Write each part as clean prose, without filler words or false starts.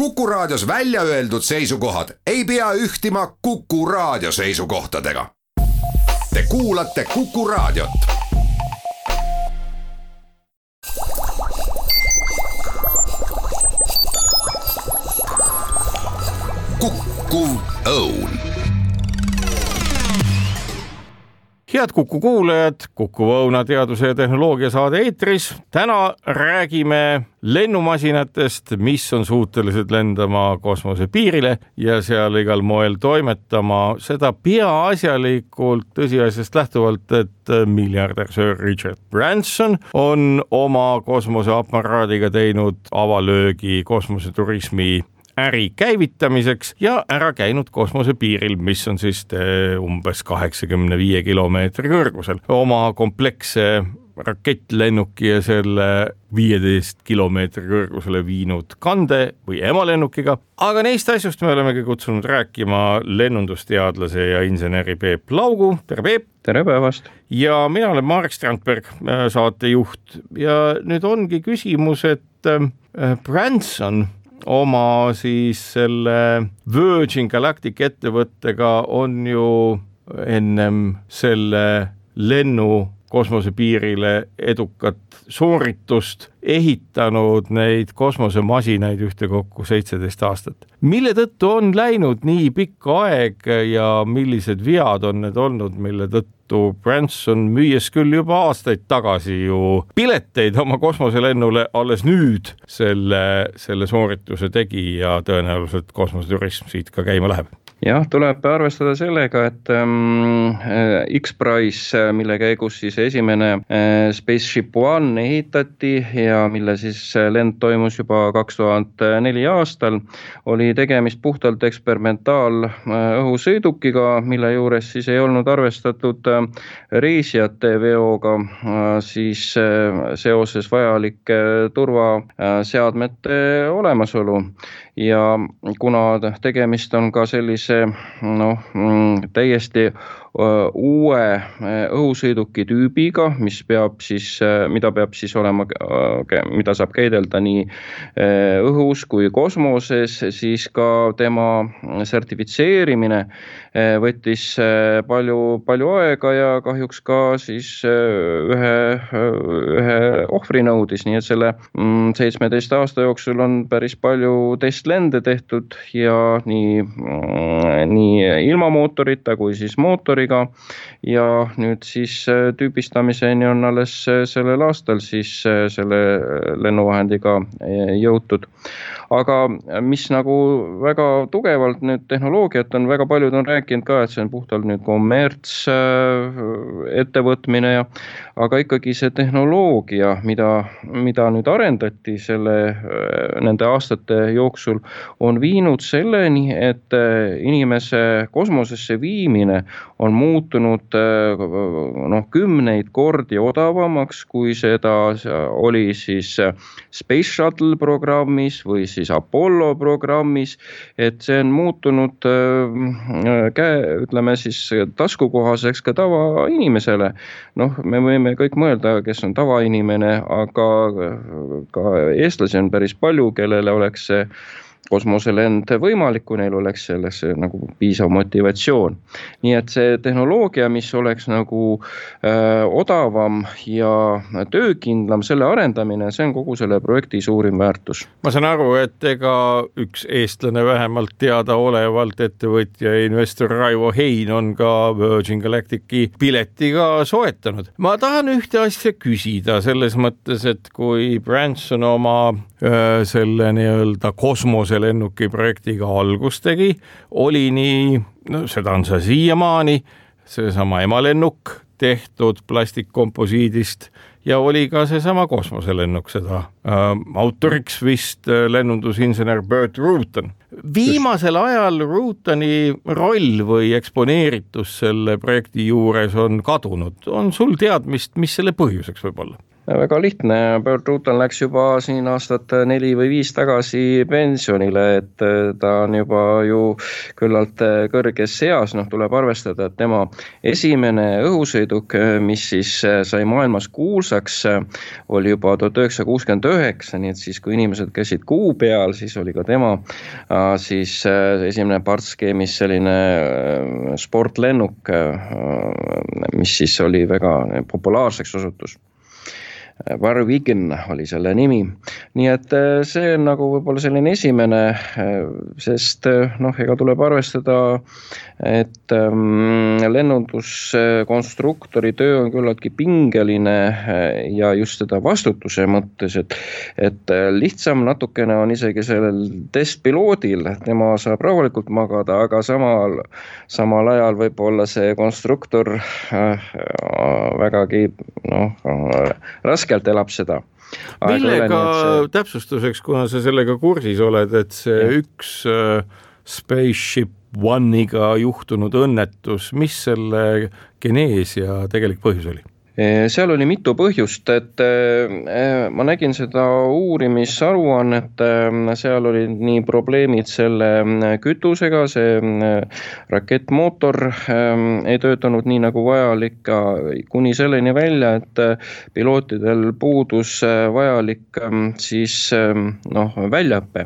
Kuku Raadios välja öeldud seisukohad ei pea ühtima Kuku Raadio seisukohtadega. Te kuulate Kuku Raadiot. Kuku Õun. Head Kuku kuulajad, Kuku Õuna teaduse ja tehnoloogia saade eetris. Täna räägime lennumasinatest, mis on suutelised lendama kosmose piirile ja seal igal moel toimetama. Seda peaasjalikult tõsiasjast lähtuvalt, et miljardär Sir Richard Branson on oma kosmoseaparaadiga teinud avalöögi kosmoseturismi äri käivitamiseks ja ära käinud kosmosepiiril, mis on siis umbes 85 kilomeetri kõrgusel. Oma kompleksse rakettlennuki ja selle 15 kilomeetri kõrgusele viinud kande või emalennukiga. Aga neist asjust me olemegi kutsunud rääkima lennundusteadlase ja inseneri Peep Laugu. Tere Peep! Tere päevast! Ja mina olen Marek Strandberg, saatejuht. Ja nüüd ongi küsimus, et Branson oma siis selle Virgin Galactic ettevõttega on ju ennem selle lennu kosmosepiirile edukat sooritust ehitanud neid kosmosemasinaid ühtekokku 17 aastat. Mille tõttu on läinud nii pikka aeg ja millised vead on need olnud, mille tõttu Branson müües küll juba aastaid tagasi ju pileteid oma kosmoselennule alles nüüd selle soorituse tegi ja tõenäoliselt kosmoseturism siit ka käima läheb? Jah, tuleb arvestada sellega, et X-Prize, mille käigus siis esimene Spaceship One ehitati ja mille siis lend toimus juba 2004 aastal, oli tegemist puhtalt eksperimentaalõhusõidukiga, mille juures siis ei olnud arvestatud reisijate veoga siis seoses vajalike turvaseadmete olemasolu. Ja kuna tegemist on ka sellise täiesti uue õhusõiduki tüübiga, mida saab käidelda nii õhus kui kosmoses, siis ka tema sertifitseerimine võttis palju aega ja kahjuks ka siis ühe ohvri nõudis, nii et selle 17 aasta jooksul on päris palju testlende tehtud ja nii ilma mootorita kui siis mootoriga ja nüüd siis tüübistamiseni on alles sellel aastal siis selle lennuvahendiga jõutud. Aga mis nagu väga tugevalt nüüd tehnoloogiat on, väga paljud on rääkinud ka, et see on puhtalt nüüd kommerts ettevõtmine, aga ikkagi see tehnoloogia, mida nüüd arendati nende aastate jooksul, on viinud selleni, et inimese kosmosesse viimine on muutunud kümneid kordi odavamaks, kui seda oli siis Space Shuttle programmis või siis Apollo programmis, et see on muutunud ütleme siis taskukohaseks ka tavainimesele. Me võime kõik mõelda, kes on tavainimene, aga ka eestlasi on päris palju, kellele oleks see kosmoselend võimalik, kui neil oleks selles nagu piisav motivatsioon. Nii et see tehnoloogia, mis oleks nagu odavam ja töökindlam, selle arendamine, see on kogu selle projekti suurim väärtus. Ma saan aru, et ega üks eestlane vähemalt teadaolevalt ettevõtja investor Raivo Hein on ka Virgin Galactici piletiga soetanud. Ma tahan ühte asja küsida selles mõttes, et kui Branson oma selle nii-öelda kosmoselennuki projektiga algust tegi, oli nii, seda on see siiamaani, seesama emalennuk tehtud plastikkomposiidist ja oli ka seesama kosmoselennuk, seda autoriks vist lennundusinsener Burt Rutan. Viimasel ajal Rutani roll või eksponeeritus selle projekti juures on kadunud. On sul teadmist, mis selle põhjuseks võib olla? Väga lihtne, Burt Rutan läks juba siin aastat 4 või 5 tagasi pensionile, et ta on juba ju küllalt kõrges eas, tuleb arvestada, et tema esimene õhusõiduk, mis siis sai maailmas kuulsaks, oli juba 1969, nii et siis kui inimesed käisid kuu peal, siis oli ka tema siis esimene partskeemis selline sportlennuk, mis siis oli väga populaarseks osutus. Warwigan oli selle nimi, nii et see on nagu võib-olla selline esimene, sest ega tuleb arvestada, et lennunduskonstruktori töö on küllaltki pingeline ja just seda vastutuse mõttes, et lihtsam natukene on isegi sellel testpiloodil, tema saab rahulikult magada, aga samal ajal võib-olla see konstruktor vägagi raskelt elab seda. Millega täpsustuseks, kuna sa sellega kursis oled, et see üks Spaceship One'iga juhtunud õnnetus, mis selle genees ja tegelik põhjus oli? Seal oli mitu põhjust, et ma nägin seda uurimisaruannet, seal oli nii probleemid selle kütusega, see rakettmootor ei töötanud nii nagu vajalik, kuni selleni välja, et pilootidel puudus vajalik siis väljaõppe.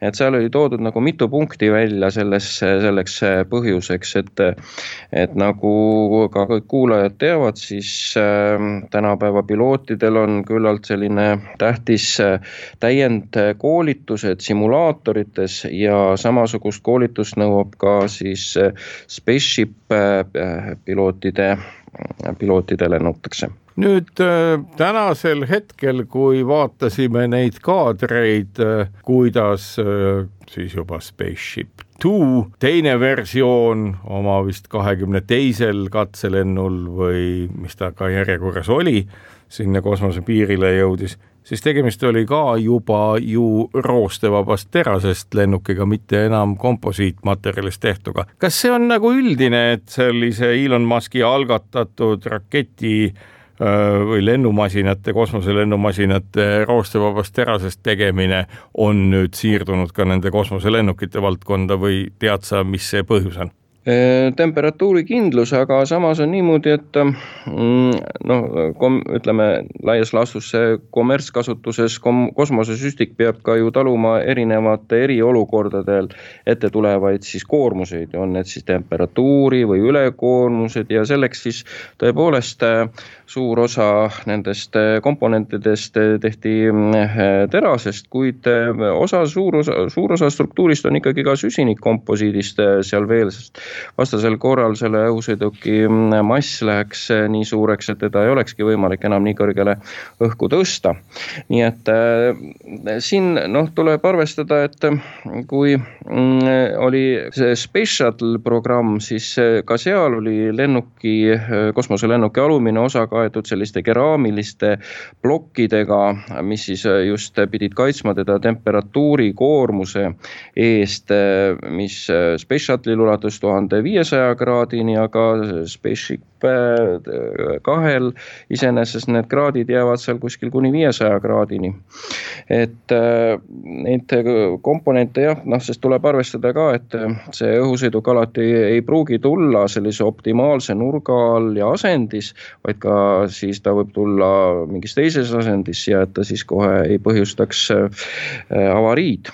Et seal oli toodud nagu mitu punkti välja selleks põhjuseks, et nagu ka kõik kuulajad teavad, siis tänapäeva pilootidel on küllalt selline tähtis täiendkoolitused simulaatorites ja samasugust koolitust nõuab ka siis Spaceship pilootidele nõutakse. Nüüd tänasel hetkel, kui vaatasime neid kaadreid, kuidas siis juba Spaceship 2, teine versioon oma vist 22. katselennul või mis ta ka järjekorras oli, sinna kosmose piirile jõudis, siis tegemist oli ka juba ju roostevabast terasest lennukiga, mitte enam komposiitmaterjalist tehtuga. Kas see on nagu üldine, et sellise Elon Muski algatatud raketi või lennumasinate, kosmoselennumasinate roostevabast terasest tegemine on nüüd siirdunud ka nende kosmoselennukite valdkonda või tead sa, mis see põhjus on? Temperatuuri kindlus, aga samas on niimoodi, et ütleme laias laastus see kommertskasutuses kosmosesüstik peab ka ju taluma erinevate eriolukordadel ette tulevaid siis koormuseid, on need siis temperatuuri või ülekoormused ja selleks siis tõepoolest suur osa nendest komponentidest tehti terasest, kuid suur osa struktuurist on ikkagi ka süsinikkomposiidist seal veel, sest vastasel korral selle õhusõiduki mass läheks nii suureks, et teda ei olekski võimalik enam nii kõrgele õhku tõsta. Nii et siin tuleb arvestada, et kui oli see Space Shuttle programm, siis ka seal oli kosmoselennuki alumine osa kaetud selliste keraamiliste plokkidega, mis siis just pidid kaitsma teda temperatuuri koormuse eest, mis Space Shuttle'il ulatus 1500 kraadini, aga Spaceship 2 iseenesest need kraadid jäävad seal kuskil kuni 500 kraadini. Et neid komponente sest tuleb arvestada ka, et see õhusõiduk alati ei pruugi tulla sellise optimaalse nurga all ja asendis, vaid ka siis ta võib tulla mingis teises asendis ja et ta siis kohe ei põhjustaks avariid.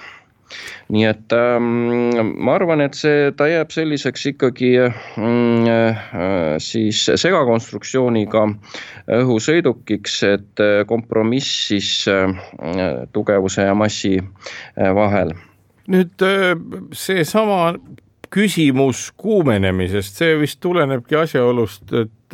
Nii et ma arvan, et ta jääb selliseks ikkagi siis segakonstruktsiooniga õhusõidukiks, et kompromiss siis tugevuse ja massi vahel. Nüüd see sama küsimus kuumenemisest, see vist tulenebki asjaolust, et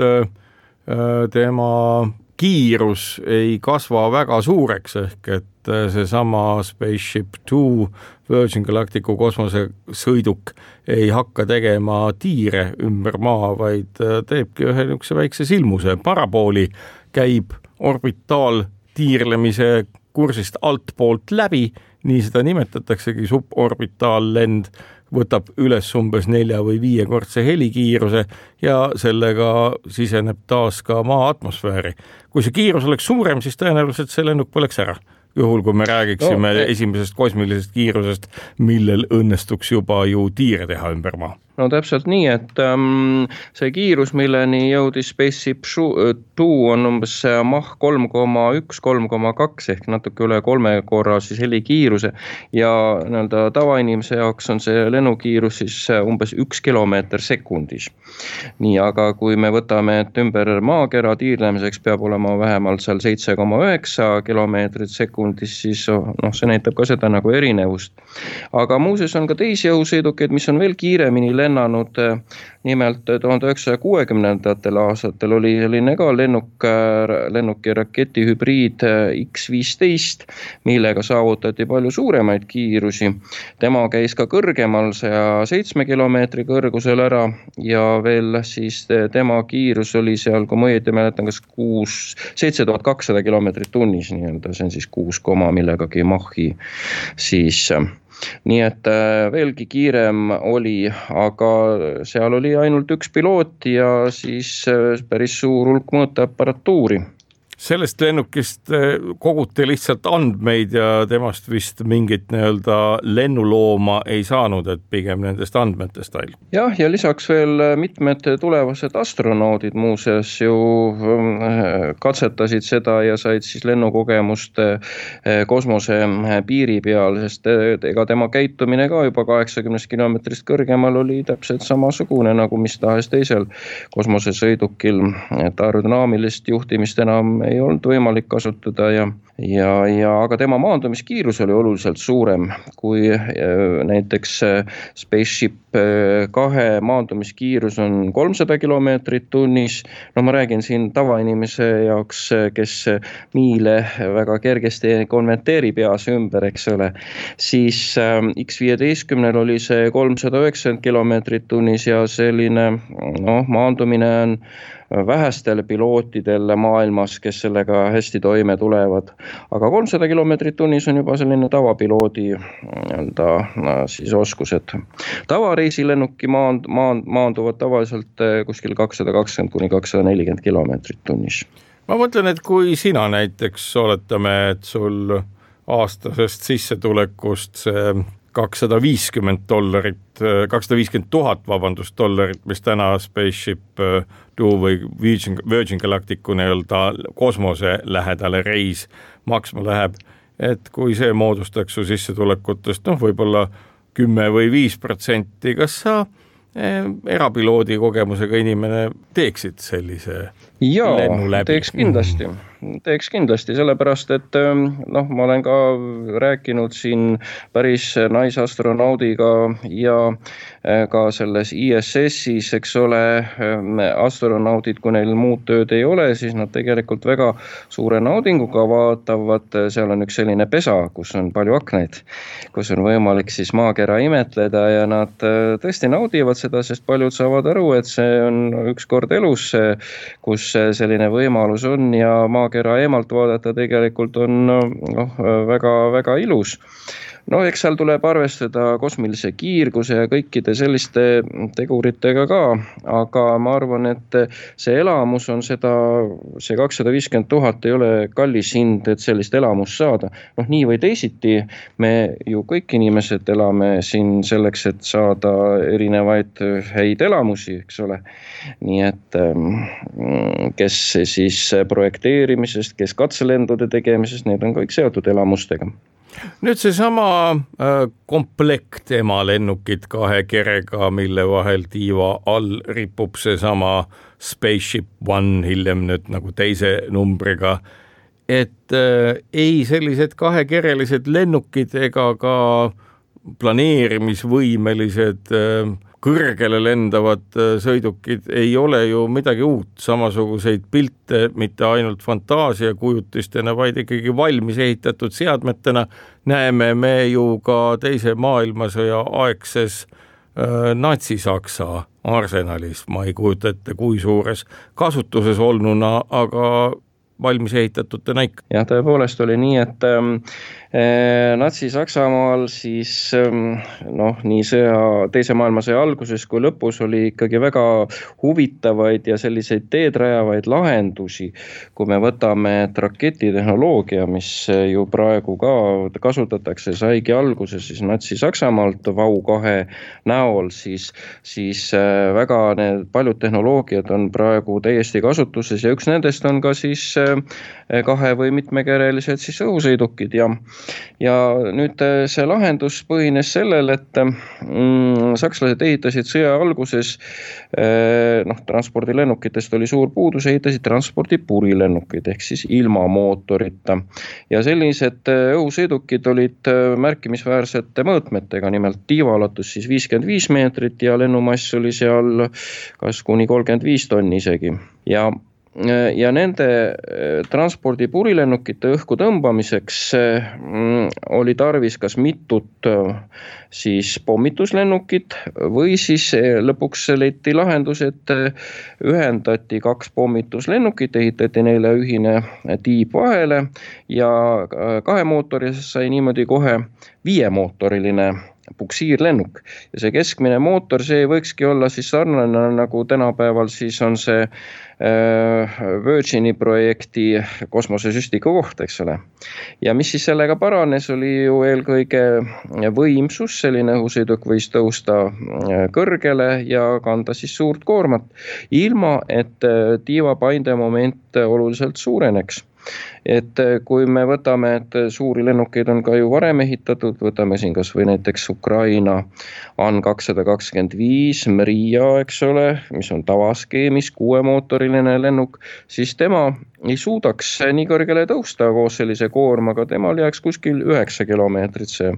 tema kiirus ei kasva väga suureks, ehk et seesama Spaceship 2 Virgin Galacticu kosmosesõiduk ei hakka tegema tiire ümber maa, vaid teebki ühe niisuguse väikse silmuse. Parabooli käib orbitaaltiirlemise kursist altpoolt läbi, nii seda nimetataksegi suborbitaallend, võtab üles umbes 4 või 5-kordse helikiiruse ja sellega siseneb taas ka maa atmosfääri. Kui see kiirus oleks suurem, siis tõenäoliselt see lennuk põleks ära. Juhul, kui me räägiksime esimesest kosmilisest kiirusest, millel õnnestuks juba ju tiire teha ümber maa. No täpselt nii, et see kiirus, milleni jõudis Spaceship 2 on umbes Mach 3,1-3,2 ehk natuke üle 3 korra siis helikiiruse ja tavainimese jaoks on see lennukiirus siis umbes 1 kilomeeter sekundis. Nii, aga kui me võtame, et ümber maakera tiirlemiseks peab olema vähemalt seal 7,9 kilomeetrit sekundis, siis see näitab ka seda nagu erinevust. Aga muuseas on ka teisi õhusõidukeid, mis on veel kiiremini lennanud, nimelt 1960. aastatel oli selline ka lennuki raketi hübriid X-15, millega saavutati palju suuremaid kiirusi. Tema käis ka kõrgemal 107 kilomeetri kõrgusel ära ja veel siis tema kiirus oli seal, kui ma õieti mäletan, kas 7200 kilomeetrit tunnis, see on siis 6, millegagi Machi siis. Nii et veelgi kiirem oli, aga seal oli ainult üks piloot ja siis päris suur hulk mõõteaparatuuri. Sellest lennukist koguti lihtsalt andmeid ja temast vist mingit lennulooma ei saanud, et pigem nendest andmetest ainult. Jah, ja lisaks veel mitmed tulevased astronaudid muuseas ju katsetasid seda ja said siis lennukogemust kosmose piiri peal, sest ega tema käitumine ka juba 80 kilomeetrist kõrgemal oli täpselt samasugune nagu mis tahes teisel kosmosesõidukil, et aerodünaamilist juhtimist enam ei olnud võimalik kasutada aga tema maandumiskiirus oli oluliselt suurem kui näiteks Spaceship 2 maandumiskiirus on 300 kilomeetrit tunnis. Ma räägin siin tavainimese jaoks, kes miile väga kergesti konverteerib peas ümber, eks ole. Siis X-15 oli see 390 kilomeetrit tunnis ja selline maandumine on vähestel pilootidel maailmas, kes sellega hästi toime tulevad. Aga 300 kilomeetrit tunnis on juba selline tavapiloodi siis oskused. Tavareisilennuki maanduvad tavaliselt kuskil 220-240 kilomeetrit tunnis. Ma mõtlen, et kui sina näiteks oletame, et sul aastasest sissetulekust see $250, $250 000, mis täna Spaceship 2 või Virgin Galacticu kosmose lähedale reis maksma läheb, et kui see moodustaks su sissetulekutest, võib-olla 10 või 5%, kas sa erapiloodi kogemusega inimene teeksid sellise lennu läbi? Teeks kindlasti, sellepärast, et ma olen ka rääkinud siin päris naisastronaudiga ja ka selles ISS-is, eks ole, astronaudid, kui neil muud tööd ei ole, siis nad tegelikult väga suure naudinguga vaatavad, seal on üks selline pesa, kus on palju aknaid, kus on võimalik siis maakera imetleda ja nad tõesti naudivad seda, sest paljud saavad aru, et see on üks kord elus, kus selline võimalus on ja maakera eemalt vaadata tegelikult on väga ilus. Eks seal tuleb arvestada kosmilise kiirguse ja kõikide selliste teguritega ka, aga ma arvan, et see elamus on see 250 000 ei ole kallis hind, et sellist elamust saada. Nii või teisiti, me ju kõik inimesed elame siin selleks, et saada erinevaid häid elamusi, eks ole. Nii et kes siis projekteerimisest, kes katselendude tegemisest, need on kõik seotud elamustega. Nüüd seesama komplekt emalennukid 2 kerega, mille vahel tiiva all ripub seesama Spaceship 1 hiljem nüüd nagu teise numbriga, et ei sellised 2-kerelised lennukid ega ka planeerimisvõimelised kõrgele lendavad sõidukid ei ole ju midagi uut, samasuguseid pilte mitte ainult fantaasiakujutistena, vaid ikkagi valmis ehitatud seadmetena näeme me ju ka teise maailmasõja aegses Natsi-Saksa arsenalis, ma ei kujuta ette, kui suures kasutuses olnuna, aga valmis ehitatute näik. Ja tõepoolest oli nii, et Natsi-Saksamaal siis nii teise maailmasõja alguses kui lõpus oli ikkagi väga huvitavaid ja selliseid teed rajavaid lahendusi, kui me võtame, et raketitehnoloogia, mis ju praegu ka kasutatakse, saigi alguse siis Natsi-Saksamaalt Vau-2 näol, siis väga paljud tehnoloogiad on praegu täiesti kasutuses ja üks nendest on ka siis kahe- või mitmekerelised siis õhusõidukid ja nüüd see lahendus põhines sellel, et sakslased ehitasid sõja alguses, transpordilennukitest oli suur puudus, ehitasid transpordipurilennukeid ehk siis ilma mootorita ja sellised õhusõidukid olid märkimisväärsete mõõtmetega, nimelt tiivaulatus siis 55 meetrit ja lennumass oli seal kas kuni 35 tonni isegi ja nende transpordipurilenukite õhku tõmbamiseks oli tarvis kas mitut siis pommituslennukit või siis lõpuks leiti lahendus, et ühendati 2 pommituslennukit, ehitati neile ühine tiib vahele ja 2 mootoris sai niimoodi kohe 5-mootoriline puksiirlennuk ja see keskmine mootor, see võikski olla siis sarnane nagu tänapäeval siis on see Virgini projekti kosmosesüstiku koht, eks ole. Ja mis siis sellega paranes, oli ju eelkõige võimsus, selline õhusõiduk võis tõusta kõrgele ja kanda siis suurt koormat, ilma et tiiva paindemoment oluliselt suureneks. Et kui me võtame, et suuri lennukeid on ka ju varem ehitatud, võtame siin kas või näiteks Ukraina An-225 Mriia, eks ole, mis on tavaskeemis 6-mootoriline lennuk, siis tema ei suudaks nii kõrgele tõusta koos sellise koormaga, temal jääks kuskil 9 kilomeetrit see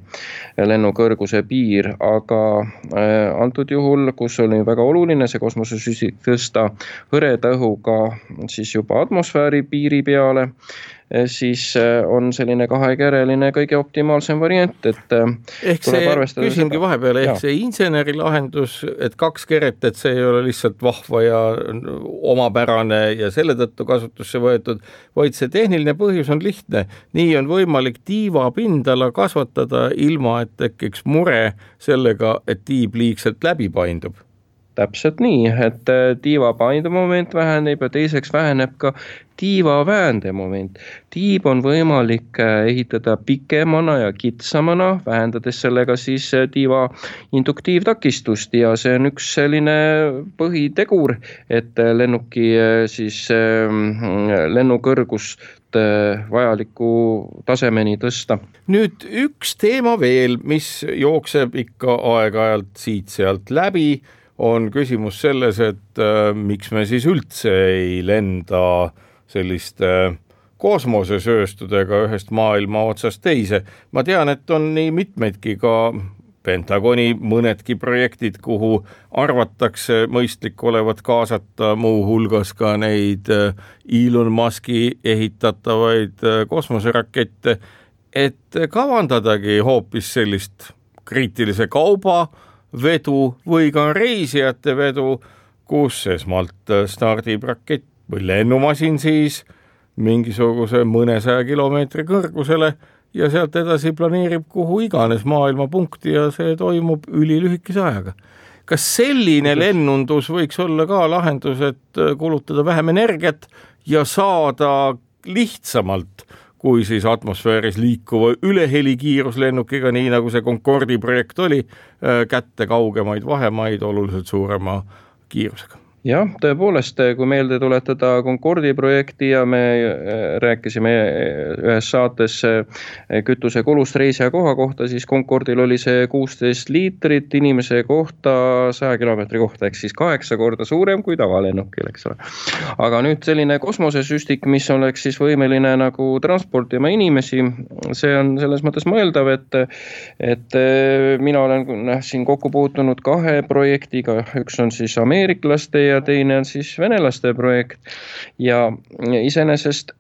lennukõrguse piir, aga antud juhul, kus oli väga oluline see kosmosesüstik tõsta hõreda õhuga siis juba atmosfääri piiri peale, siis on selline kahekereline kõige optimaalsem variant, et ehk see, küsingi vahepeale, ehk see inseneri lahendus, et 2 keret, et see ei ole lihtsalt vahva ja omapärane ja selle tõttu kasutusse võetud, vaid see tehniline põhjus on lihtne. Nii on võimalik tiiva pindala kasvatada ilma, et tekiks mure sellega, et tiib liigselt läbi paindub. Täpselt nii, et tiiva paindemoment väheneb ja teiseks väheneb ka tiiva väändemoment. Tiib on võimalik ehitada pikemana ja kitsamana, vähendades sellega siis tiiva induktiivtakistust ja see on üks selline põhitegur, et lennuki siis lennukõrgust vajaliku tasemeni tõsta. Nüüd üks teema veel, mis jookseb ikka aeg-ajalt siit-sealt läbi, on küsimus selles, et miks me siis üldse ei lenda selliste kosmosesööstudega ühest maailma otsast teise. Ma tean, et on nii mitmeidki ka Pentagoni mõnedki projektid, kuhu arvatakse mõistlik olevat kaasata muu hulgas ka neid Elon Muski ehitatavaid kosmoserakette, et kavandadagi hoopis sellist kriitilise kauba vedu või ka reisijate vedu, kus esmalt stardib rakett või lennumasin siis mingisuguse mõnesaja kilomeetri kõrgusele ja sealt edasi planeerib kuhu iganes maailma punkti ja see toimub ülilühikese ajaga. Kas selline lennundus võiks olla ka lahendus, et kulutada vähem energiat ja saada lihtsamalt kui siis atmosfääris liikuva ülehelikiiruslennukiga, nii nagu see Concordi projekt oli, kätte kaugemaid vahemaid oluliselt suurema kiirusega? Jah, tõepoolest, kui meelde tuletada Concordi projekti ja me rääkisime ühes saates kütuse kulust reisija koha kohta, siis Concordil oli see 16 liitrit inimese kohta 100 kilomeetri kohta, ehk siis 8 korda suurem kui tavalennukil, eks ole. Aga nüüd selline kosmosesüstik, mis oleks siis võimeline nagu transportima inimesi, see on selles mõttes mõeldav, et mina olen siin kokku puutunud 2 projektiga, üks on siis ameeriklaste ja teine on siis venelaste projekt ja iseenesest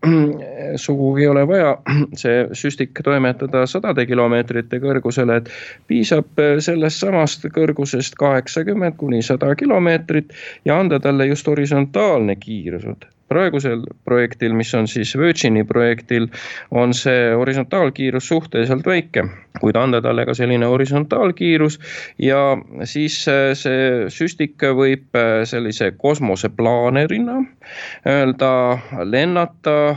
sugugi ei ole vaja see süstik toimetada 100 kilomeetrite kõrgusele, et piisab sellest samast kõrgusest 80 kuni 100 kilomeetrit ja anda talle just horisontaalne kiirus. praegusel projektil, mis on siis Virgini projektil, on see horisontaalkiirus suhteliselt väike, kuid anda talle ka selline horisontaalkiirus ja siis see süstik võib sellise kosmoseplaanerina öelda lennata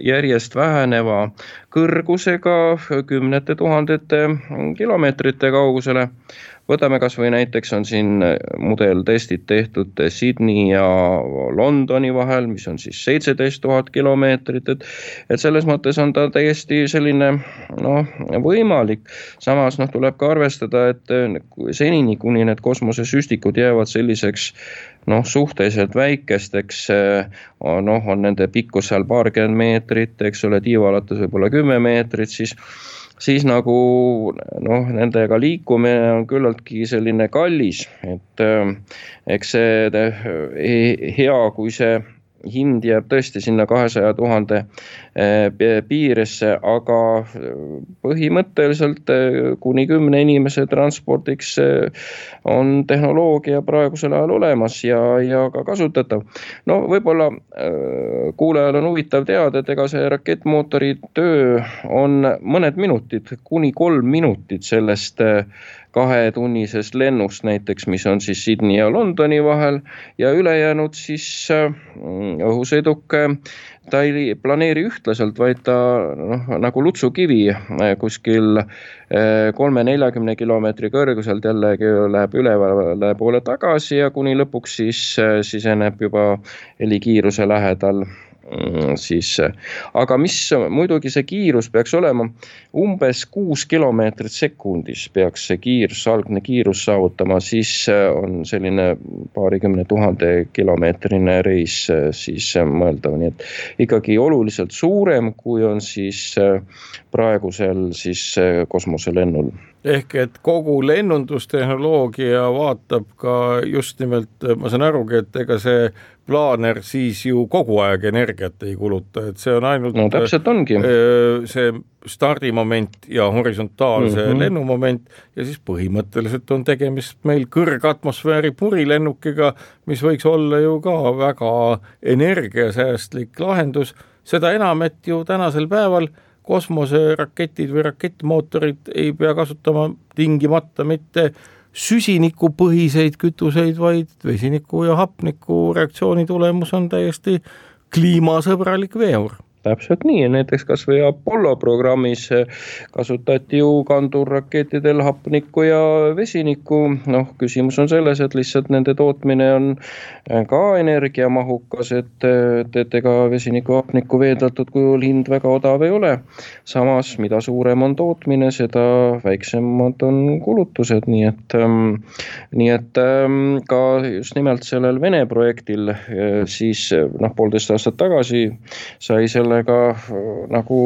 järjest väheneva kõrgusega kümnete tuhandete kilomeetrite kaugusele. Võtame kas või näiteks on siin mudeltestid tehtud Sydney ja Londoni vahel, mis on siis 17 000 kilomeetrit, et selles mõttes on ta täiesti selline võimalik. Samas tuleb ka arvestada, et senini kuni need kosmosesüstikud jäävad selliseks suhteliselt väikesteks, on nende pikkus seal paarkümmend meetrit, eks ole, tiivalatus võib olla 10 meetrit, siis nagu nendega liikumine on küllaltki selline kallis, et eks see hea, kui see hind jääb tõesti sinna 200 000 piiresse, aga põhimõtteliselt kuni 10 inimese transpordiks on tehnoloogia praegusel ajal olemas ja ka kasutatav. Võib-olla kuulajal on huvitav teada, et ega see rakettmootori töö on mõned minutid, kuni 3 minutit sellest 2-tunnisest lennust näiteks, mis on siis Sydney ja Londoni vahel ja ülejäänud siis õhusõiduk, ta ei planeeri ühtlaselt, vaid ta nagu lutsukivi kuskil 3-40 kilomeetri kõrguselt jällegi läheb üle poole tagasi ja kuni lõpuks siis siseneb juba helikiiruse lähedal. Aga mis muidugi see kiirus peaks olema, umbes 6 kilomeetrit sekundis peaks see algne kiirus saavutama, siis on selline 20 000 kilomeetrine reis siis mõeldav, nii et ikkagi oluliselt suurem, kui on siis praegusel siis kosmoselennul. Ehk et kogu lennundustehnoloogia vaatab ka just nimelt, ma saan arugi, et ega see plaaner siis ju kogu aeg energiat ei kuluta, et see on ainult täpselt ongi. See stardimoment ja horisontaalse lennumoment ja siis põhimõtteliselt on tegemist meil kõrgatmosfääri purilennukiga, mis võiks olla ju ka väga energiasäästlik lahendus, seda enam, et ju tänasel päeval kosmoseraketid või rakettmootorid ei pea kasutama tingimata mitte süsinikupõhiseid kütuseid, vaid vesiniku ja hapniku reaktsiooni tulemus on täiesti kliimasõbralik veeur. Täpselt nii, näiteks kas või Apollo programmis kasutati ju kandurrakettidel hapnikku ja vesinikku. Küsimus on selles, et lihtsalt nende tootmine on ka energiamahukas, et ega vesiniku hapnikku veeldatud kujul hind väga odav ei ole. Samas, mida suurem on tootmine, seda väiksemad on kulutused, nii et ka just nimelt sellel Vene projektil siis 1,5 aastat tagasi sai sellega nagu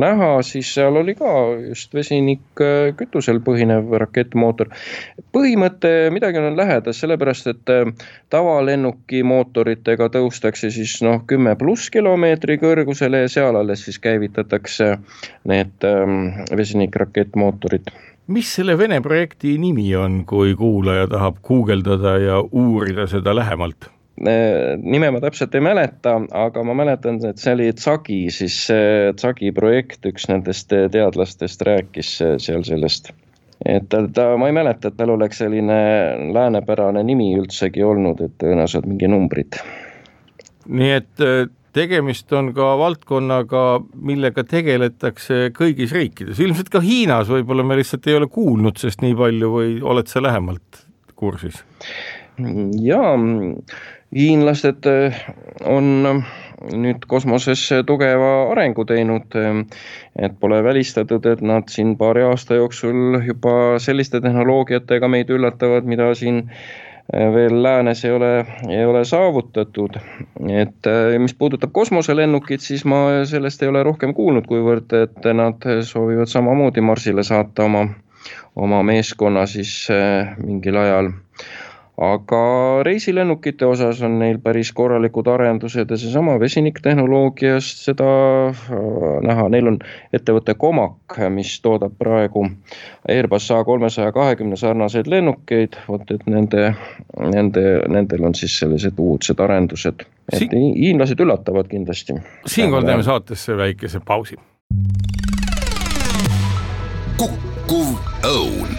näha, siis seal oli ka just vesinikkütusel põhinev rakettmootor. Põhimõte midagi on lähedas, sellepärast et tavalennuki mootoritega tõustakse siis 10+ kilomeetri kõrgusele ja seal alles siis käivitatakse need vesinikrakettmootorid. Mis selle Vene projekti nimi on, kui kuulaja tahab guugeldada ja uurida seda lähemalt? Nime ma täpselt ei mäleta, aga ma mäletan, et see oli Tsagi, siis Tsagi projekt, üks nendest teadlastest rääkis seal sellest. Et ma ei mäleta, et tal oleks selline läänepärane nimi üldsegi olnud, et tõenäoliselt mingi numbrid. Nii et tegemist on ka valdkonnaga, millega tegeletakse kõigis riikides. Ilmselt ka Hiinas võib-olla me lihtsalt ei ole kuulnud sest nii palju või oled sa lähemalt kursis? Jaa, hiinlased on nüüd kosmoses tugeva arengu teinud, et pole välistatud, et nad siin paari aasta jooksul juba selliste tehnoloogiatega meid üllatavad, mida siin veel läänes ei ole saavutatud. Et mis puudutab kosmoselennukit, siis ma sellest ei ole rohkem kuulnud, kuivõrd et nad soovivad samamoodi Marsile saata oma meeskonna siis mingil ajal. aga reisilennukite osas on neil päris korralikud arendused ja seesama vesiniktehnoloogiast seda näha. Neil on ettevõte Comac, mis toodab praegu Airbus A320 sarnaseid lennukeid, et nendel on siis sellised uudsed arendused. Et hiinlased üllatavad kindlasti. Siinkohal teeme saatesse väikese pausi. Kukkuv õun.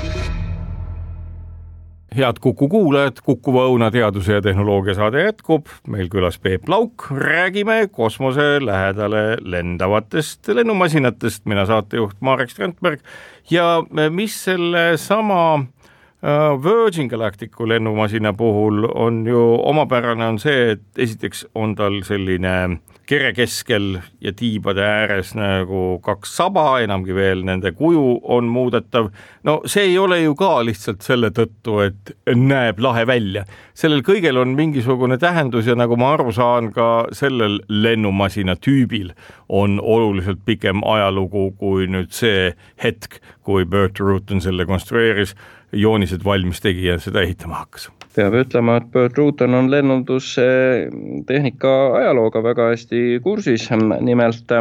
Head Kuku kuulajad, Kukuva õuna teaduse ja tehnoloogia saade jätkub. Meil külas Peep Lauk, räägime kosmose lähedale lendavatest lennumasinatest. Mina saatejuht Marek Strandberg ja mis selle sama Virgin Galacticu lennumasina puhul on ju omapärane on see, et esiteks on tal selline kere keskel ja tiibade ääres nagu kaks saba, enamgi veel nende kuju on muudetav. No see ei ole ju ka lihtsalt selle tõttu, et näeb lahe välja. Sellel kõigel on mingisugune tähendus ja nagu ma aru saan, ka sellel lennumasina tüübil on oluliselt pikem ajalugu kui nüüd see hetk, kui Burt Rutan selle konstrueeris, joonised valmis tegi ja seda ehitama hakkas. Peab ütlema, et Burt Rutan on lennundustehnika ajalooga väga hästi kursis. Nimelt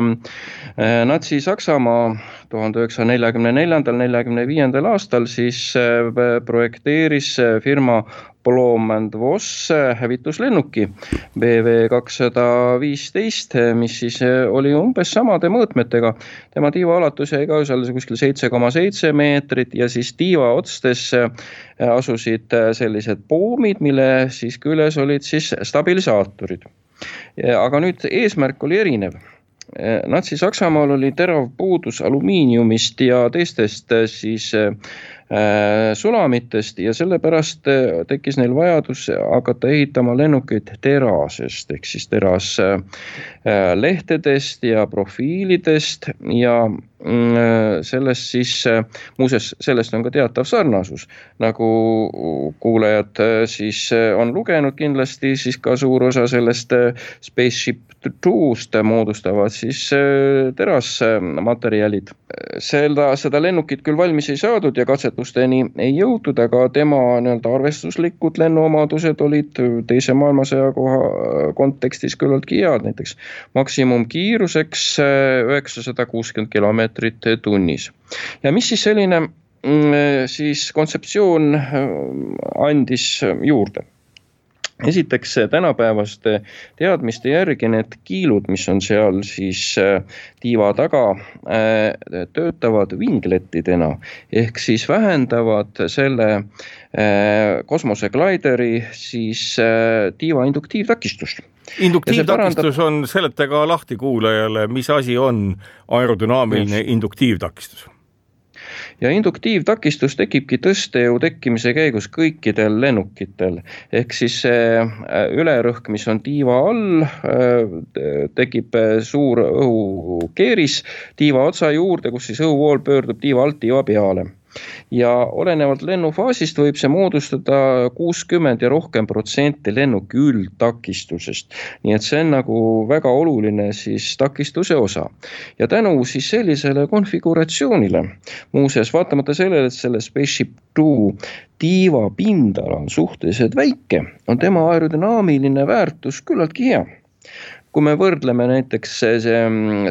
Natsi-Saksamaa 1944-45 aastal siis projekteeris firma Blohm & Voss hävituslennuki BV215, mis siis oli umbes samade mõõtmetega. Tema tiiva alatus jäi ka kuskil 7,7 meetrit ja siis tiiva otstes asusid sellised poomid, mille siis küljes olid siis stabilisaatorid. Aga nüüd eesmärk oli erinev. Natsi-Saksamaal oli terav puudus alumiiniumist ja teistest siis sulamitest ja sellepärast tekkis neil vajadus hakata ehitama lennukeid terasest ehk siis teraslehtedest ja profiilidest ja sellest siis, muuseas sellest on ka teatav sarnasus, nagu kuulajad siis on lugenud kindlasti, siis ka suur osa sellest Spaceship Two'st moodustavad siis terasmaterjalid. Seda lennukit küll valmis ei saadud ja katsetusteni ei jõutud, aga tema arvestuslikud lennuomadused olid teise maailmasõja kontekstis küllaltki head, näiteks maksimumkiiruseks 960 kilomeetrit tunnis. Ja mis siis selline siis kontseptsioon andis juurde? Esiteks tänapäevaste teadmiste järgi need kiilud, mis on seal siis tiiva taga, töötavad vinglettidena ehk siis vähendavad selle kosmoseglideri siis tiiva induktiivtakistust. Induktiivtakistus on, seletage lahti kuulajale, mis asi on aerodünaamiline induktiivtakistus? Ja induktiivtakistus tekibki tõstejõu tekkimise käigus kõikidel lennukitel. Ehk siis ülerõhk, mis on tiiva all, tekib suur õhukeeris tiiva otsa juurde, kus siis õhuvool pöördub tiiva alt tiiva peale. Ja olenevalt lennufaasist võib see moodustada 60% ja rohkem protsenti lennuki üldtakistusest. Nii et see on nagu väga oluline siis takistuse osa. Ja tänu siis sellisele konfiguratsioonile, muuseas vaatamata sellele, et selle Spaceship Two tiiva pindala on suhteliselt väike, on tema aerodünaamiline väärtus küllaltki hea. Kui me võrdleme näiteks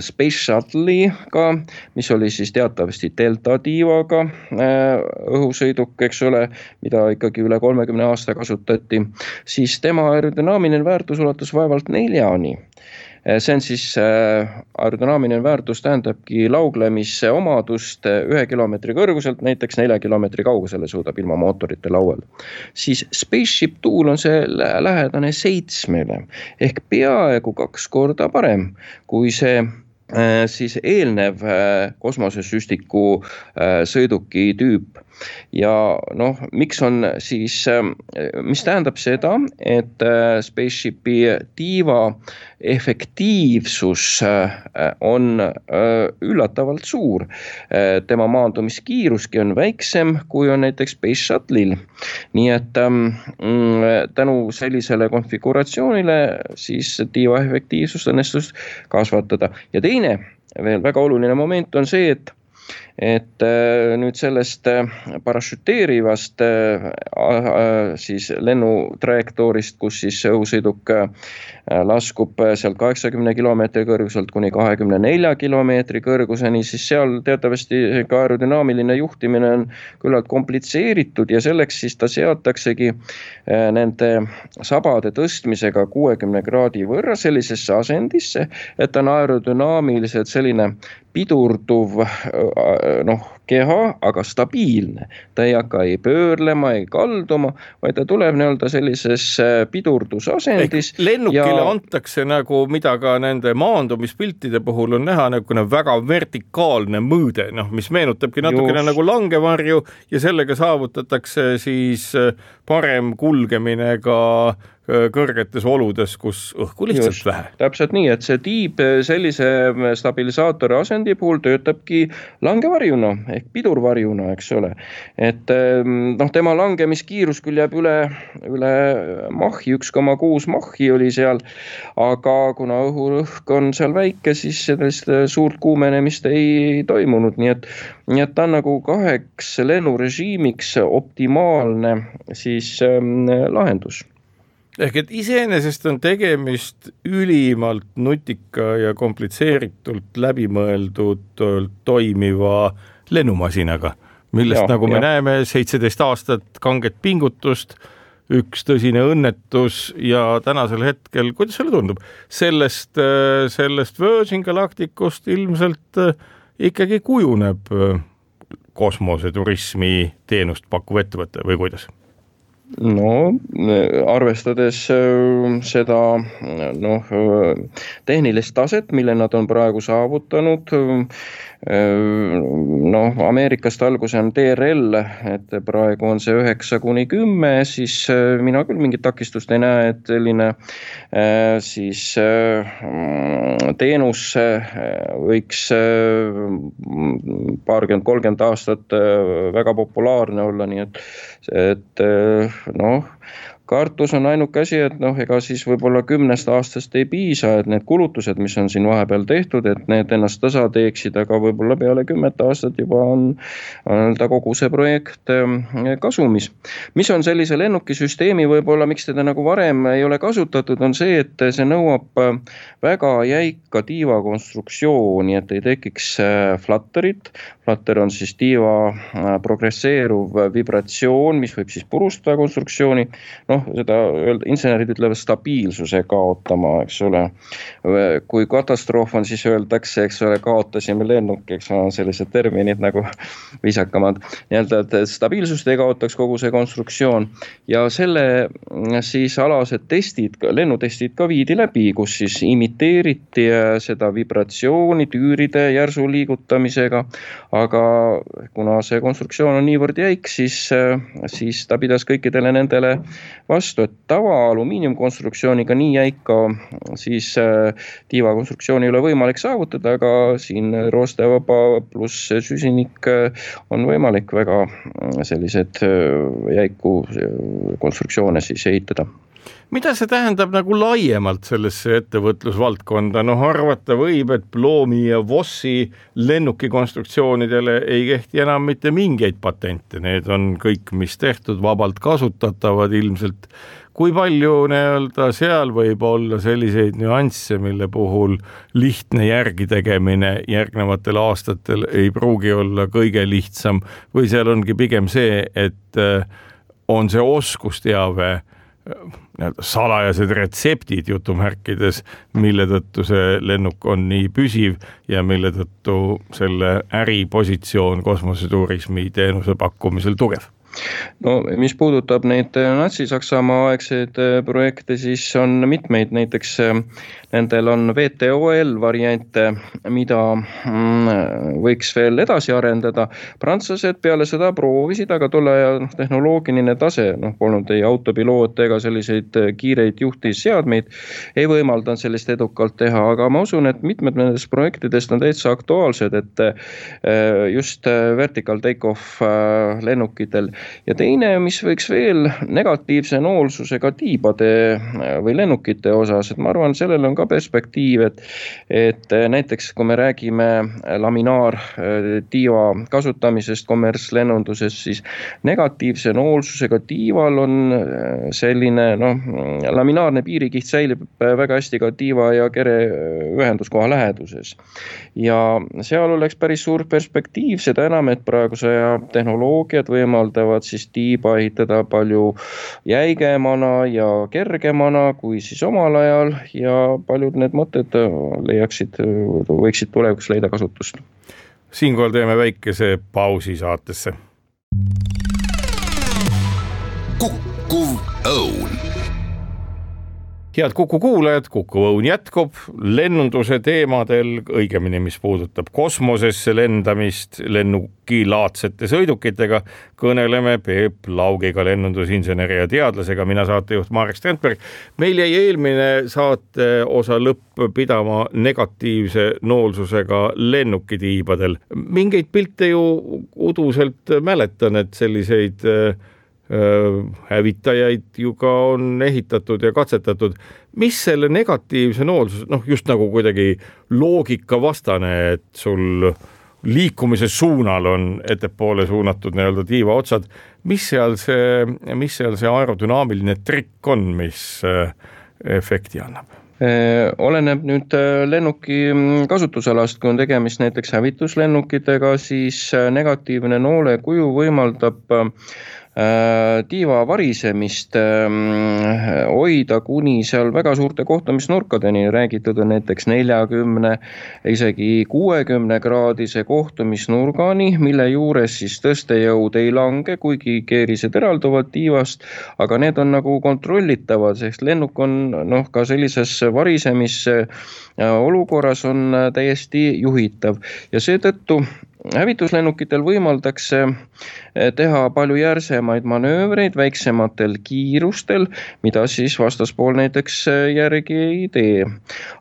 Space Shuttle'iga, mis oli siis teatavasti delta tiivaga õhusõiduk, eks ole, mida ikkagi üle 30 aasta kasutati, siis tema aerodünaamiline väärtus ulatus vaevalt 4-ni. See on siis aerodünaamiline väärtus tähendabki lauglemise omadust 1 kilomeetri kõrguselt, näiteks 4 kilomeetri kaugusele suudab ilma mootorite lauel. Siis Spaceship Two'l on see lähedane 7-le ehk peaaegu 2 korda parem kui see siis eelnev kosmosesüstiku sõiduki tüüp. Ja miks on siis, mis tähendab seda, et Spaceshipi tiiva efektiivsus on üllatavalt suur. Tema maandumiskiiruski on väiksem, kui on näiteks Space Shuttle'il. Nii et tänu sellisele konfiguratsioonile siis tiiva efektiivsust õnnestus kasvatada. Ja teine veel väga oluline moment on see, et et nüüd sellest parašüteerivast siis lennutrajektoorist, kus siis õhusõiduk laskub sealt 80 kilomeetri kõrguselt kuni 24 kilomeetri kõrguseni, siis seal teatavasti ka aerodünaamiline juhtimine on küllalt komplitseeritud ja selleks siis ta seataksegi nende sabade tõstmisega 60 kraadi võrra sellisesse asendisse, et ta on aerodünaamiliselt selline pidurduv keha, aga stabiilne. Ta ei hakka ei pöörlema, ei kalduma, vaid ta tuleb nii-öelda sellises pidurdusasendis. Lennukile antakse nagu, mida ka nende maandumispiltide puhul on näha, nagu väga vertikaalne mõõde, mis meenutabki natukene nagu langevarju ja sellega saavutatakse siis parem kulgemine ka kõrgetes oludes, kus õhku lihtsalt vähe. Täpselt nii, et see tiib sellise stabilisaatori asendi puhul töötabki langevarjuna ehk pidurvarjuna, eks ole. Et tema langemiskiirus küll jääb üle mahhi, 1,6 mahhi oli seal, aga kuna õhurõhk on seal väike, siis sellist suurt kuumenemist ei toimunud, nii et ta on nagu 2 lennurežiimiks optimaalne siis lahendus. Ehk et iseenesest on tegemist ülimalt nutika ja komplitseeritult läbimõeldud toimiva lennumasinaga, millest nagu me näeme 17 aastat kanget pingutust, üks tõsine õnnetus ja tänasel hetkel, kuidas sulle tundub, sellest Virgin Galacticust ilmselt ikkagi kujuneb kosmoseturismi teenust pakkuv ettevõte või kuidas? No, arvestades seda tehnilist taset, mille nad on praegu saavutanud, Ameerikast alguse on TRL, et praegu on see 9-10, siis mina küll mingit takistust ei näe, et selline siis teenus võiks 20-30 aastat väga populaarne olla, nii et kartus on ainuke asi, et ega siis võib-olla 10 aastast ei piisa, et need kulutused, mis on siin vahepeal tehtud, et need ennast tasa teeksid, aga võib-olla peale 10 aastat juba on kogu see projekt kasumis. Mis on sellise lennukisüsteemi võib-olla, miks teda nagu varem ei ole kasutatud, on see, et see nõuab väga jäika tiivakonstruktsiooni, et ei tekiks flutterit. Flutter on siis tiiva progresseeruv vibratsioon, mis võib siis purustada konstruktsiooni. Seda insenerid ütlevad stabiilsuse kaotama, eks ole. Kui katastroof on, siis öeldakse, eks ole, kaotasime lennuki, eks ole, sellised terminid nagu viisakamad. Nii-öelda, et stabiilsust ei kaotaks kogu see konstruktsioon. Ja selle siis alased testid, lennutestid ka viidi läbi, kus siis imiteeriti seda vibratsiooni tüüride järsu liigutamisega, aga kuna see konstruktsioon on niivõrd jäik, siis ta pidas kõikidele nendele vastu, et tava alumiiniumkonstruktsiooniga nii jäika siis tiivakonstruktsiooni ei ole võimalik saavutada, aga siin roostevaba pluss süsinik on võimalik väga sellised jäiku konstruktsioone siis ehitada. Mida see tähendab nagu laiemalt sellesse ettevõtlusvaldkonda? Arvata võib, et Ploomi ja Vossi lennukikonstruktsioonidele ei kehti enam mitte mingeid patente. Need on kõik, mis tehtud, vabalt kasutatavad ilmselt. Kui palju seal võib olla selliseid nüansse, mille puhul lihtne järgi tegemine järgnevatel aastatel ei pruugi olla kõige lihtsam või seal ongi pigem see, et on see oskusteave salajased retseptid jutumärkides, mille tõttu see lennuk on nii püsiv ja mille tõttu selle äripositsioon kosmoseturismi teenuse pakkumisel tugev? Mis puudutab neid Natsi-Saksamaa aegseid projekte, siis on mitmeid, näiteks nendel on VTOL variante, mida võiks veel edasi arendada. Prantslased peale seda proovisid, aga tolle tehnoloogiline tase, polnud ei autopiloot ega selliseid kiireid juhtisseadmeid, ei võimaldanud sellist edukalt teha, aga ma usun, et mitmed nendest projektidest on täitsa aktuaalsed, et just vertical take-off lennukitel Ja teine, mis võiks veel negatiivse noolsusega tiibade või lennukite osas, et ma arvan, sellel on ka perspektiiv, et näiteks kui me räägime laminaartiiva kasutamisest kommertslennunduses, siis negatiivse noolsusega tiival on selline laminaarne piirikiht säilib väga hästi ka tiiva ja kere ühenduskoha läheduses. Ja seal oleks päris suur perspektiiv, seda enam, et praeguse tehnoloogiad võimaldavad siis tiiba ehitada palju jäigemana ja kergemana kui siis omal ajal ja paljud need mõtted võiksid tulevikus leida kasutust. Siinkohal teeme väikese pausi saatesse. Kukkuv õun. Head Kuku kuulajad, Kuku õun jätkub lennunduse teemadel, õigemini mis puudutab kosmosesse lendamist lennukilaadsete sõidukitega. Kõneleme Peep Laugiga, lennundusinseneri ja teadlasega, mina saatejuht Marek Strandberg. Meil jäi eelmine saate osa lõpp pidama negatiivse noolsusega lennukitiibadel. Mingeid pilte ju uduselt mäletan, et selliseid hävitajaid ju ka on ehitatud ja katsetatud. Mis selle negatiivse noolsus, just nagu kuidagi loogika vastane, et sul liikumise suunal on ettepoole suunatud nii-öelda tiiva otsad. Mis seal see aerodünaamiline trikk on, mis efekti annab? Oleneb nüüd lennuki kasutusalast, kui on tegemist näiteks hävituslennukitega, siis negatiivne noole kuju võimaldab tiiva varisemist hoida kuni seal väga suurte kohtumisnurkadeni, räägitud on näiteks 40, isegi 60 kraadise kohtumisnurgani, mille juures siis tõstejõud ei lange, kuigi keerised eralduvad tiivast, aga need on nagu kontrollitavad, sest lennuk on ka sellises varisemis olukorras on täiesti juhitav ja seetõttu hävituslennukitel võimaldakse teha palju järsemaid manöövreid väiksematel kiirustel, mida siis vastaspool näiteks järgi ei tee.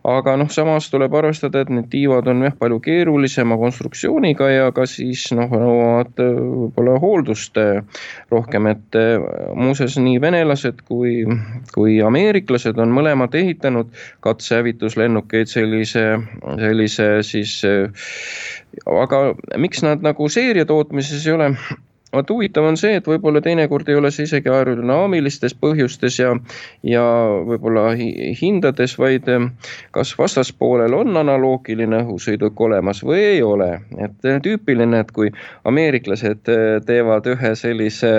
Aga samas tuleb arvestada, et need tiivad on palju keerulisema konstruktsiooniga ja ka siis nõuavad võib-olla hooldust rohkem, et muuseas nii venelased kui ameeriklased on mõlemad ehitanud katsehävituslennukeid sellise siis, aga miks nad nagu seeriatootmises ei ole? Huvitav on see, et võib-olla teinekord ei ole see isegi aerodünaamilistes põhjustes ja võib-olla hindades, vaid kas vastaspoolel on analoogiline õhusõiduk olemas või ei ole. Et tüüpiline, et kui ameeriklased teevad ühe sellise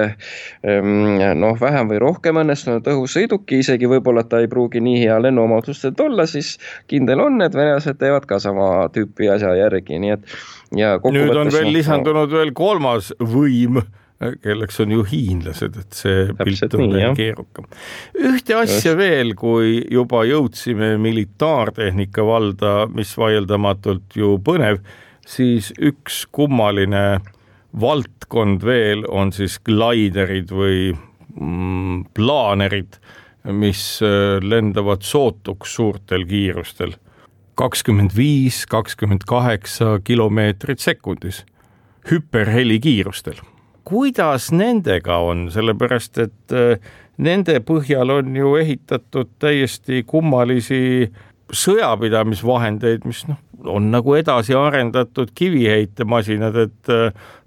vähem või rohkem õnnestunud õhusõiduki, isegi võib-olla ta ei pruugi nii hea lennuomadustelt olla, siis kindel on, et venelased teevad ka sama tüüpi asja järgi, nii et nüüd on veel lisandunud veel kolmas võim, kelleks on ju hiinlased, et see pilt on veel keerukam. Ühte asja veel, kui juba jõudsime militaartehnika valda, mis vaieldamatult ju põnev, siis üks kummaline valdkond veel on siis glaiderid või plaanerid, mis lendavad sootuks suurtel kiirustel. 25, 28 kilomeetrit sekundis, hüperheli kiirustel. Kuidas nendega on? Sellepärast, et nende põhjal on ju ehitatud täiesti kummalisi sõjapidamisvahendeid, mis on nagu edasi arendatud kiviheitemasinad, et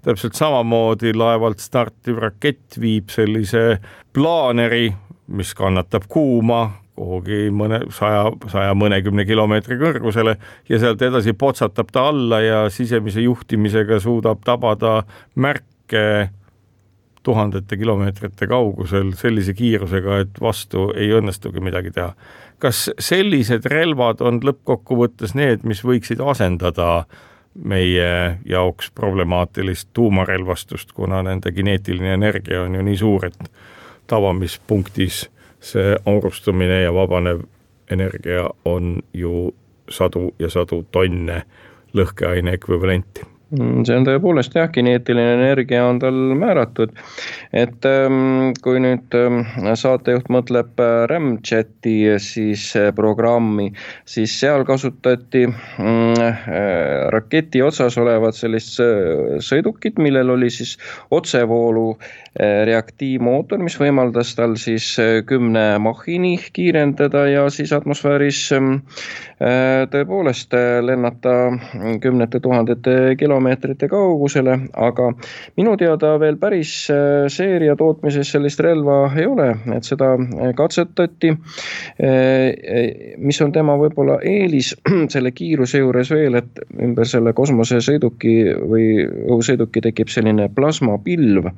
täpselt samamoodi laevalt startiv rakett viib sellise plaaneri, mis kannatab kuuma, kuhugi 100 kilomeetri kõrgusele ja sealt edasi potsatab ta alla ja sisemise juhtimisega suudab tabada märke tuhandete kilomeetrite kaugusel sellise kiirusega, et vastu ei õnnestugi midagi teha. Kas sellised relvad on lõppkokkuvõttes need, mis võiksid asendada meie jaoks problemaatilist tuumarelvastust, kuna nende kineetiline energia on ju nii suur, et tavamispunktis see aurustumine ja vabanev energia on ju sadu ja sadu tonne lõhkeaine ekvivalenti. See on tõepoolest jah, kineetiline energia on tal määratud, et kui nüüd saatejuht mõtleb Ramjeti siis programmi, siis seal kasutati raketi otsas olevat sellist sõidukit, millel oli siis otsevoolu reaktiivmootor, mis võimaldas tal siis 10 Machini kiirendada ja siis atmosfääris tõepoolest lennata kümnete tuhandete kilomeetrite kaugusele, aga minu teada veel päris seeria tootmises sellist relva ei ole, et seda katsetati. Mis on tema võib-olla eelis selle kiiruse juures veel, et ümber selle kosmosesõiduki või õhusõiduki tekib selline plasmapilv,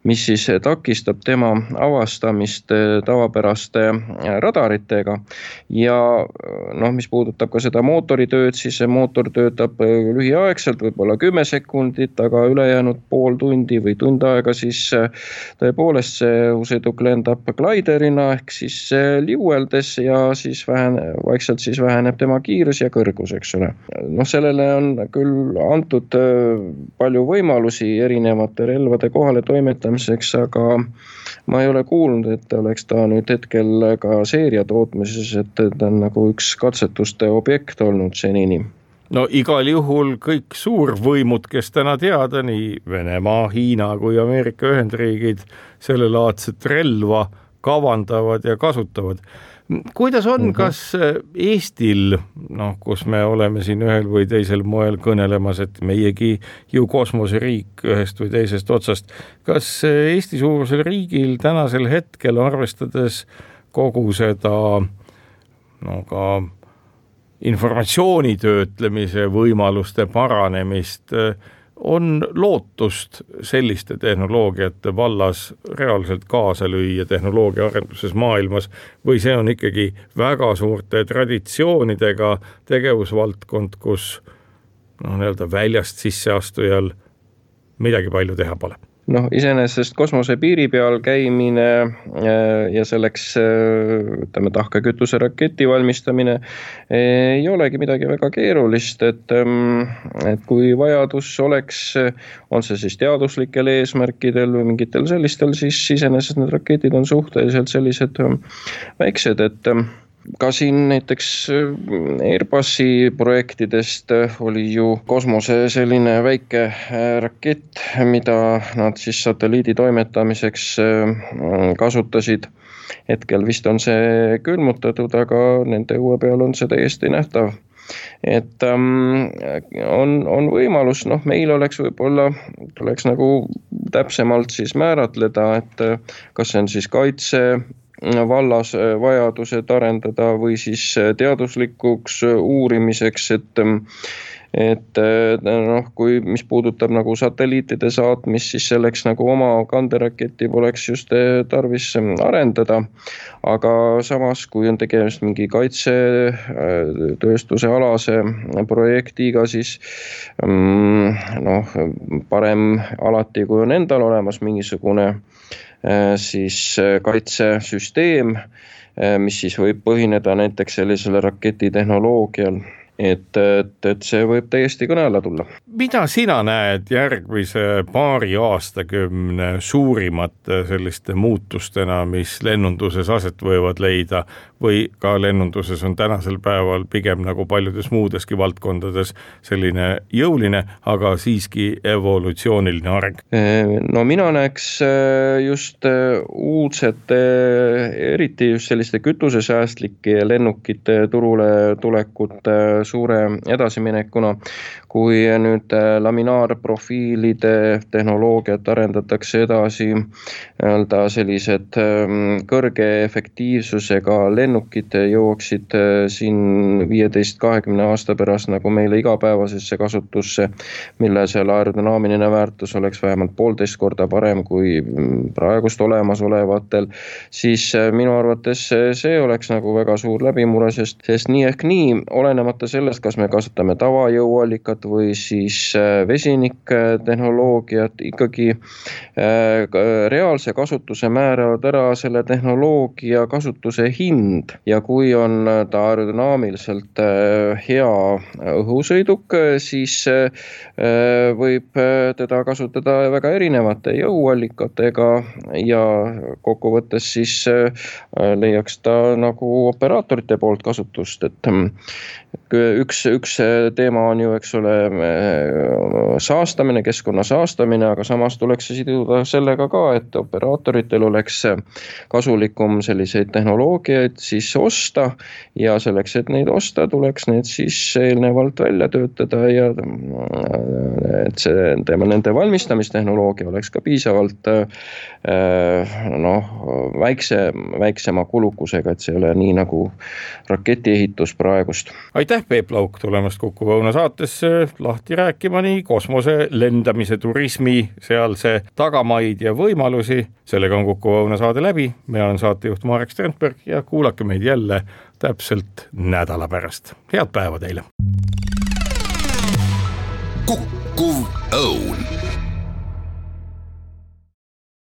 mis siis takistab tema avastamist tavapäraste radaritega ja mis puudutab ka seda mootoritööd, siis see mootor töötab lühiaegselt, võib-olla 10 sekundit, aga ülejäänud pool tundi või tund aega siis tõepoolest see õhusõiduk lendab gliderina ehk siis liueldes ja siis vaikselt siis väheneb tema kiirus ja kõrgus, eks ole. Sellele on küll antud palju võimalusi erinevate relvade kohale toimetamiseks, aga ma ei ole kuulnud, et oleks ta nüüd hetkel ka seeria tootmises, et ta on nagu üks katsetuste objekt olnud senini. No igal juhul kõik suurvõimud, kes täna teada, nii Venemaa, Hiina kui Ameerika Ühendriigid sellelaadset relva kavandavad ja kasutavad. Kuidas on, kas Eestil, kus me oleme siin ühel või teisel moel kõnelemas, et meiegi ju kosmoseriik ühest või teisest otsast, kas Eesti suurusel riigil tänasel hetkel arvestades kogu seda ka informatsiooni töötlemise võimaluste paranemist on lootust selliste tehnoloogiate vallas reaalselt kaasa lüüa tehnoloogia arenduses maailmas või see on ikkagi väga suurte traditsioonidega tegevusvaldkond, kus väljast sisseastujal midagi palju teha pole? Iseenesest kosmose piiri peal käimine ja selleks tahkekütuse raketi valmistamine ei olegi midagi väga keerulist, et kui vajadus oleks, on see siis teaduslikel eesmärkidel või mingitel sellistel, siis iseenesest need raketid on suhteliselt sellised väiksed, et ka siin näiteks Airbusi projektidest oli ju kosmose selline väike rakett, mida nad siis satelliidi toimetamiseks kasutasid. Hetkel vist on see külmutatud, aga nende uue peal on see täiesti nähtav. Et on võimalus, meil oleks võib-olla, tuleks nagu täpsemalt siis määratleda, et kas see on siis kaitse vallas vajadused arendada või siis teaduslikuks uurimiseks, et kui mis puudutab nagu satelliitide saatmist, siis selleks nagu oma kanderaketi poleks just tarvis arendada, aga samas kui on tegemist mingi kaitsetööstuse alase projektiga, siis parem alati, kui on endal olemas mingisugune siis kaitsesüsteem, mis siis võib põhineda näiteks sellisele raketitehnoloogial, et see võib täiesti kõne alla tulla. Mida sina näed järgmise paari aastakümne suurimate selliste muutustena, mis lennunduses aset võivad leida või ka lennunduses on tänasel päeval pigem nagu paljudes muudeski valdkondades selline jõuline, aga siiski evolutsiooniline areng? Mina näeks just uudsete, eriti just selliste kütusesäästlike lennukite turule tulekut suure edasiminekuna, kui nüüd laminaarprofiilide tehnoloogiat arendatakse edasi, sellised kõrge efektiivsusega lennukid jõuaksid siin 15-20 aasta pärast nagu meile igapäevasesse kasutusse, mille selle aerodünaamiline väärtus oleks vähemalt 1,5 korda parem kui praegust olemasolevatel, siis minu arvates see oleks nagu väga suur läbimure, sest nii ehk nii, olenemata sellest, kas me kasutame tavajõuallikat või siis vesiniktehnoloogiat, ikkagi reaalse kasutuse määravad ära selle tehnoloogia kasutuse hind ja kui on ta aerodünaamiliselt hea õhusõiduk, siis võib teda kasutada väga erinevate jõuallikatega ja kokkuvõttes siis leiaks ta nagu operaatorite poolt kasutust, et üks teema on ju, eks ole, saastamine, keskkonna saastamine, aga samas tuleks siduda sellega ka, et operaatoritel oleks kasulikum selliseid tehnoloogiaid siis osta ja selleks, et neid osta, tuleks need siis eelnevalt välja töötada ja et see nende valmistamistehnoloogia oleks ka piisavalt väiksema kulukusega, et see ei ole nii nagu raketiehitus praegust. Aitäh, Peep Lauk, tulemast Kuku Õuna saatesse lahti rääkima nii kosmose lendamise, turismi, sealse tagamaid ja võimalusi. Sellega on Kuku Õuna saade läbi. Mina olen saatejuht Marek Strandberg ja kuulake meid jälle täpselt nädala pärast. Head päeva teile! Kuku Õun.